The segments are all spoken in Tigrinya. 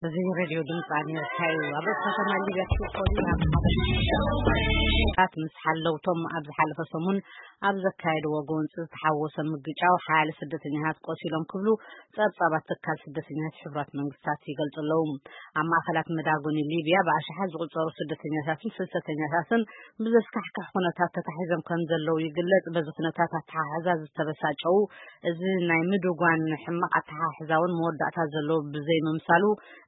እዚ ሬድዮ ድምፂ ኣሜሪካ እዩ። ኣብ ርእሲ ከተማ ሊቢያ ትሪፖሊ ኣብ ሓደ ታት ምስ ሓለውቶም ኣብ ዝሓለፈ ሰሙን ኣብ ዘካየድዎ ጎንፂ ዝተሓወሰ ምግጫው ሓያለ ስደተኛታት ቆሲሎም ክብሉ ጸብጻባት ትካል ስደተኛታት ሕቡራት መንግስታት ይገልጹ ኣለዉ። ኣብ ማእኸላት መዳጎኒ ሊቢያ ብኣሽሓት ዝቑጸሩ ስደተኛታትን ፍልሰተኛታትን ብዘስካሕክሕ ኩነታት ተታሒዞም ከም ዘለዉ ይግለጽ። በዚ ኩነታት ኣተሓሕዛ ዝተበሳጨዉ፣ እዚ ናይ ምድጓን ሕማቕ ኣተሓሕዛ እውን መወዳእታ ዘለዎ ብዘይምምሳሉ፣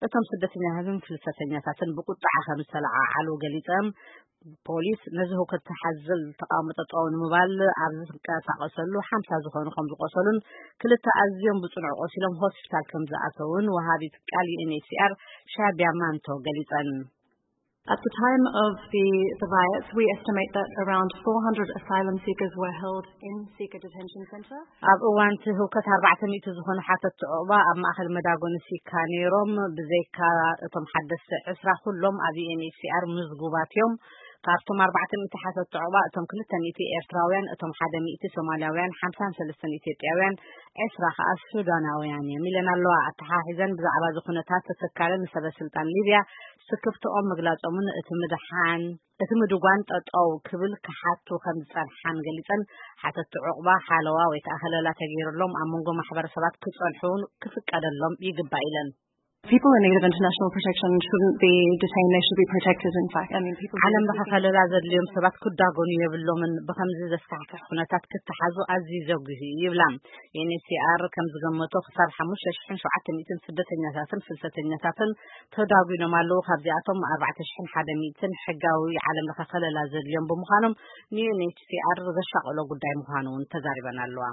እቶም ስደተኛታትን ፍልሰተኛታትን ብቁጥዓ ከም ዝተለዓዓሉ ገሊጾም። ፖሊስ ነዚ ህውከት ዝሓዝል ተቃውሞ ጠጠው ንምባል ኣብ ዝንቀሳቐሰሉ ሓምሳ ዝኾኑ ከም ዝቆሰሉን ክልተ ኣዝዮም ብጽኑዕ ቆሲሎም ሆስፒታል ከም ዝኣተውን ወሃቢት ቃል ዩ ኤን ኤች ሲ ኣር ሻቢያ ማንቶ ገሊጸን። At the time of the, the riots, we estimate that around four hundred asylum seekers were held in Sika Detention Centre. ኣብ እዋን እቲ ህውከት ኣርባዕተ ሚእቲ ዝኾኑ ሓተትቲ ዑቕባ ኣብ ማእኸል መዳጎኒ ሲካ ነይሮም። ብዘይካ እቶም ሓደስቲ ዕስራ ኩሎም ኣብ ዩ ኤን ኤች ሲ ኣር ምዝጉባት እዮም። ካብቶም ኣርባዕተ ሚእቲ ሓተትቲ ዑቕባ እቶም ክልተ ሚእቲ ኤርትራውያን፣ እቶም ሓደ ሚእቲ ሶማልያውያን፣ ሓምሳን ሰለስተን ኢትዮጵያውያን፣ ዕስራ ከኣ ሱዳናውያን እዮም ኢለን ኣለዋ። ኣተሓሒዘን ብዛዕባ እዚ ኩነታት ተተካለ ንሰበ ስልጣን ሊብያ ስክፍትኦም ምግላጾምን እቲ ምድሓን እቲ ምድጓን ጠጠው ክብል ክሓቱ ከም ዝጸንሓን ገሊጸን፣ ሓተቲ ዑቕባ ሓለዋ ወይ ከኣ ከለላ ተገይሩሎም ኣብ መንጎ ማሕበረሰባት ክጸንሑ እውን ክፍቀደሎም ይግባእ ኢለን። People in need of international protection shouldn't be detained, they should be protected, in fact. I mean, people ዓለም ለኸ ከለላ ዘድልዮም ሰባት ክዳጎኑ የብሎምን፣ ብኸምዚ ዘስካሕክሕ ኩነታት ክተሓዙ ኣዝዩ ዘጉሂ እዩ ይብላ። ዩ ኤን ኤች ሲ ኣር ከም ዝገመቶ ክሳብ ሓሙሽተ ሽሕን ሸውዓተ ሚእትን ስደተኛታትን ፍልሰተኛታትን ተዳጒኖም ኣለዉ። ካብዚኣቶም ኣርባዕተ ሽሕን ሓደ ሚእትን ሕጋዊ ዓለም ለኸ ከለላ ዘድልዮም ብምዃኖም ን ዩ ኤን ኤች ሲ ኣር ዘሻቐሎ ጉዳይ ምዃኑ እውን ተዛሪበን ኣለዋ።